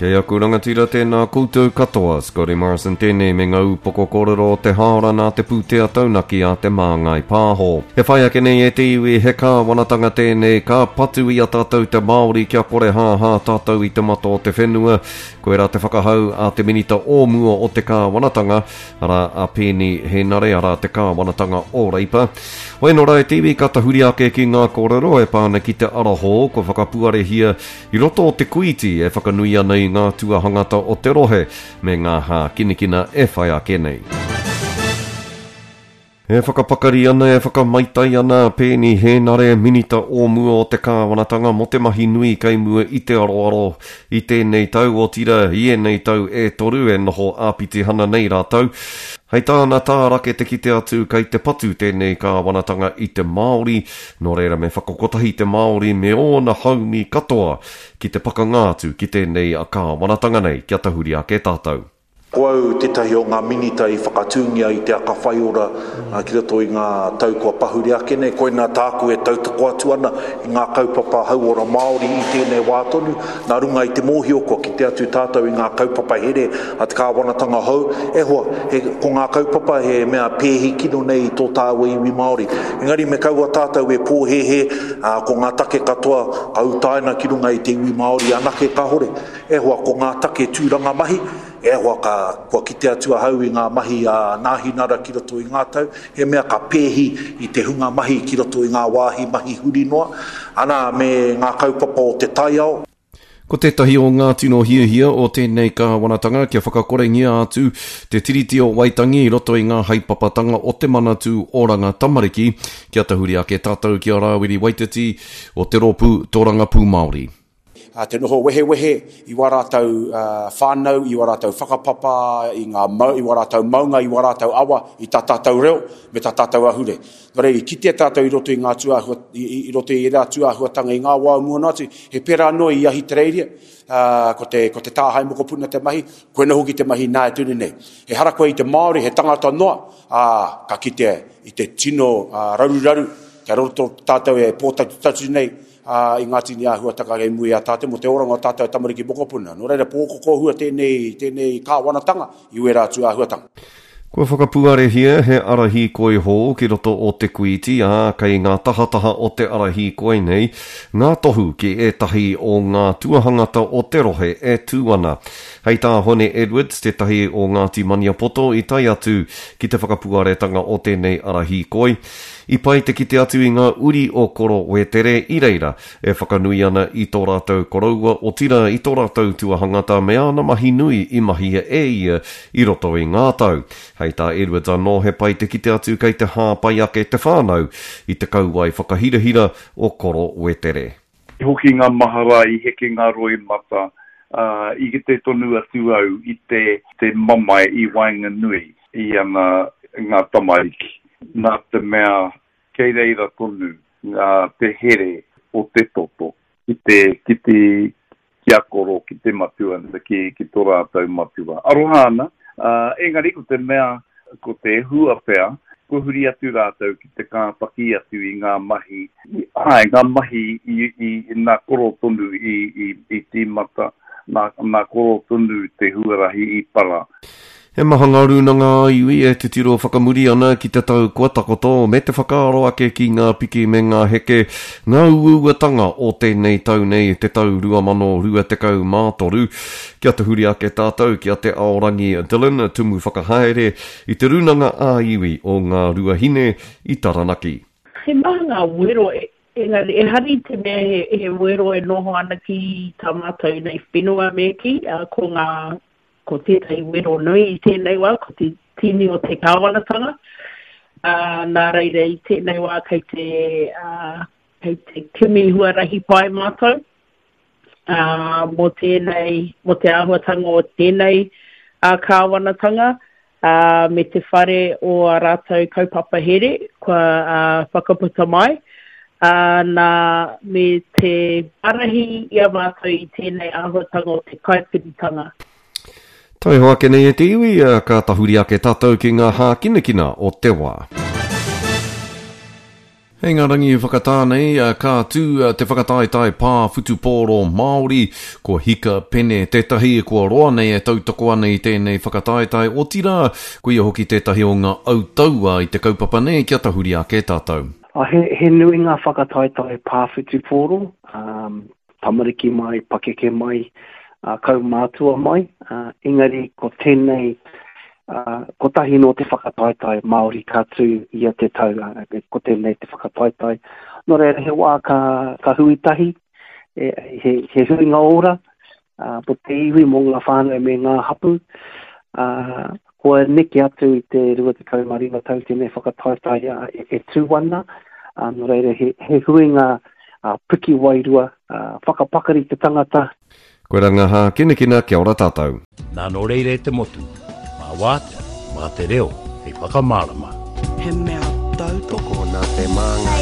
Kei aku rangatira tēnā koutou katoa, Scotty Morrison tēnei me ngā ūpoko kōrero o te hāora nā te pūtea taunaki a Te Māngai Pāho. E whai ake nei e te iwi, he kāwanatanga tēnei ka patu i a tātou te Māori kia kore hāhā tātou i te mata o te whenua. Koirā te whakahau a te Minita o mua o te kāwanatanga, arā a Peeni Henare, arā te kāwanatanga o Reipa. Hoi nō rā e te iwi ka tahuri ake ki ngā kōrero e pā ana ki te ara hou kua whakapuarehia i roto o Te Kūiti e whakanui ana i ngā tuahangata o te rohe me ngā hākinakina e whai ake nei. E whakapakari ana, e whakamaitai ana a Peeni Hēnare, Minita o mua o te Kāwanatanga mō te mahi nui kei mua i te aroaro i tēnei tau, otirā, i ēnei tau e toru e noho āpitihana nei rātou. Hei tāna, tārake te kite atu kei te patu tēnei kāwanatanga i te Māori, nō reira me whakakotahi te Māori me ōna haumi katoa ki te pakanga atu ki tēnei kāwanatanga nei kia tahuri ake tātou. Ko au tētahi o ngā minita i whakatūngia i te aka whaiora ki roto i ngā tau kua pahure ake nei. Koinā tāku e tautoko atu ana i ngā kaupapa hauora Māori i tēnei wā tonu, nā runga i te mōhio kua kite atu tātou i ngā kaupapa here a te kāwanatanga hou. E hoa, he, ko ngā kaupapa he mea pēhi kino nei i tō tāua iwi Māori. Engari me kaua tātou e pōhēhē, ā, ko ngā take katoa ka utaina ki runga i te iwi Māori anake, kāhore. E hoa, ko ngā take tūranga mahi, e hoa, ka, kua kite atu ahau i ngā mahi a Nāhinara ki roto i ngā tau, he mea ka pēhi i te hunga mahi ki roto i ngā wāhi mahi huri noa, ana, me ngā kaupapa o te taiao. Ko tētahi o ngā tino hiahia o tēnei kāwanatanga kia whakakorengia atu te Tiriti o Waitangi i roto i ngā haepapatanga o te Manatū Oranga Tamariki, kia tahuri ake tātou ki a Rāwiri Waititi o te Rōpū Tōrangapū Māori. Te noho wehewehe i wā rātou whānau, i wā rātou whakapapa, i ngā mau, i wā rātou maunga, i wā rātou awa, i tā tātou reo, me tā tātou ahure. Nō reira, i kitea tātou i roto i ngā tūāhua, i, i, i roto i ērā tūāhuatanga i ngā wā o mua noa atu, he pērā anō i Ahitereiria, ā, ko te, ko te tāhae mokopuna te mahi, koina hoki te mahi nāia tonu nei. Ehara koe i te Māori, he tangata noa, ā, ka kitea i te tino raruraru, kia roto tātou e pōtatutatu nei, ā, i ngā tini āhuatanga kei mua i a tātou mō te oranga o tātou tamariki mokopuna. Nō reira, pōkokohua tēnei, tēnei kāwanatanga i wērā atu āhuatanga. Kua whakapuarehia he ara hīkoi hou ki roto o Te Kuiti, ā, kei ngā tahataha o te ara hīkoi nei ngā tohu ki ētahi o ngā tuahangata o te rohe e tū ana. Hei tā Hone Edwards, tētahi o Ngāti Maniapoto i tae atu ki te whakapuaretanga o tēnei ara hīkoi, I pai te kite atu i ngā uri o Koro Wētere i reira e whakanui ana i tō rātou koroua, otirā i tō rātou tuahangata me āna mahi nui i mahia e ia i roto i ngā tau. Hei tā Edwards anō he pai te kite atu kei te hāpai ake te whānau i te kauae whakahirahira o Koro Wētere. I hoki ngā mahara, i heke ngā roimata, ā, i kite tonu atu au i te, te mamae i waenganui i ana, ngā tamariki, nā te mea kei reira tonu ngā, te here o te toto ki te, ki te, ki a Koro, ki te matua, ki, ki tō rātou matua. Aroha ana, ā, engari ko te mea, ko te hua pea, kua huri atu rātou ki te kāpaki atu i ngā mahi, āe, ngā mahi i, i, nā Koro tonu i, i, i tīmata, nā, nā Koro tonu te huarahi i para. He maha ngā rūnanga ā-iwi e titiro whakamuri ana ki te tau kua takoto me te whakaaro ake ki ngā piki me ngā heke, ngā uauatanga o tēnei tau nei, te tau 2023. Kia tahuri ake tātou ki a Te Aorangi Dillon, Tumu Whakahaere i te Rūnanga ā-Iwi o Ngā Ruahine i Taranaki. He maha ngā wero, engari ehara i te mea he wero e noho ana ki tā mātou nei whenua me kī, ko ngā, ko tētahi wero nui i tēnei wā, ko te tini o te kāwanatanga, ā, nā reira i tēnei wā kei te, ā, kei te kimi huarahi pai mātou. ā, mō tēnei, mō te āhuatanga o tēnei ā, kāwanatanga, ā, me te whare o ā rātou kaupapa here kua ā, whakaputa mai, ā, nā, me te ārahi i a mātou i tēnei āhuatanga o te kaikiritanga. Taiho ake nei e te iwi, ka tahuri ake tātou ki ngā hākinakina o te wā. Hei ngā rangi whakatā nei, ka tū te whakataetae pā whutupōro Māori, ko Hika Pene tētahi kua roa nei e tautoko ana i tēnei whakataetae, otirā, ko ia hoki tētahi o ngā autaua i te kaupapa nei kia tahuri ake tātou. He, he nui ngā whakataetae pā whutupōro, tamariki mai, pakeke mai, kaumātua mai, engari ko tēnei Kotahi nō te whakataetae Māori ka tū ia te tau, ko tēnei te whakataetae. Nō reira, he wā ka, ka hui tahi, e, he, he huinga ora mō te iwi, mō ngā whānau me ngā hapū. Kua neke atu i te 25 tau tēnei whakataetae e, e tū ana, nō reira, he, he huinga piki wairua, whakapakari te tangata. Koe ra nga hākinakina kia ora tātou. Nā nō reira e te motu, mā wātea, mā te reo hei whakamārama. He mea tautoko. Tokona te māngai.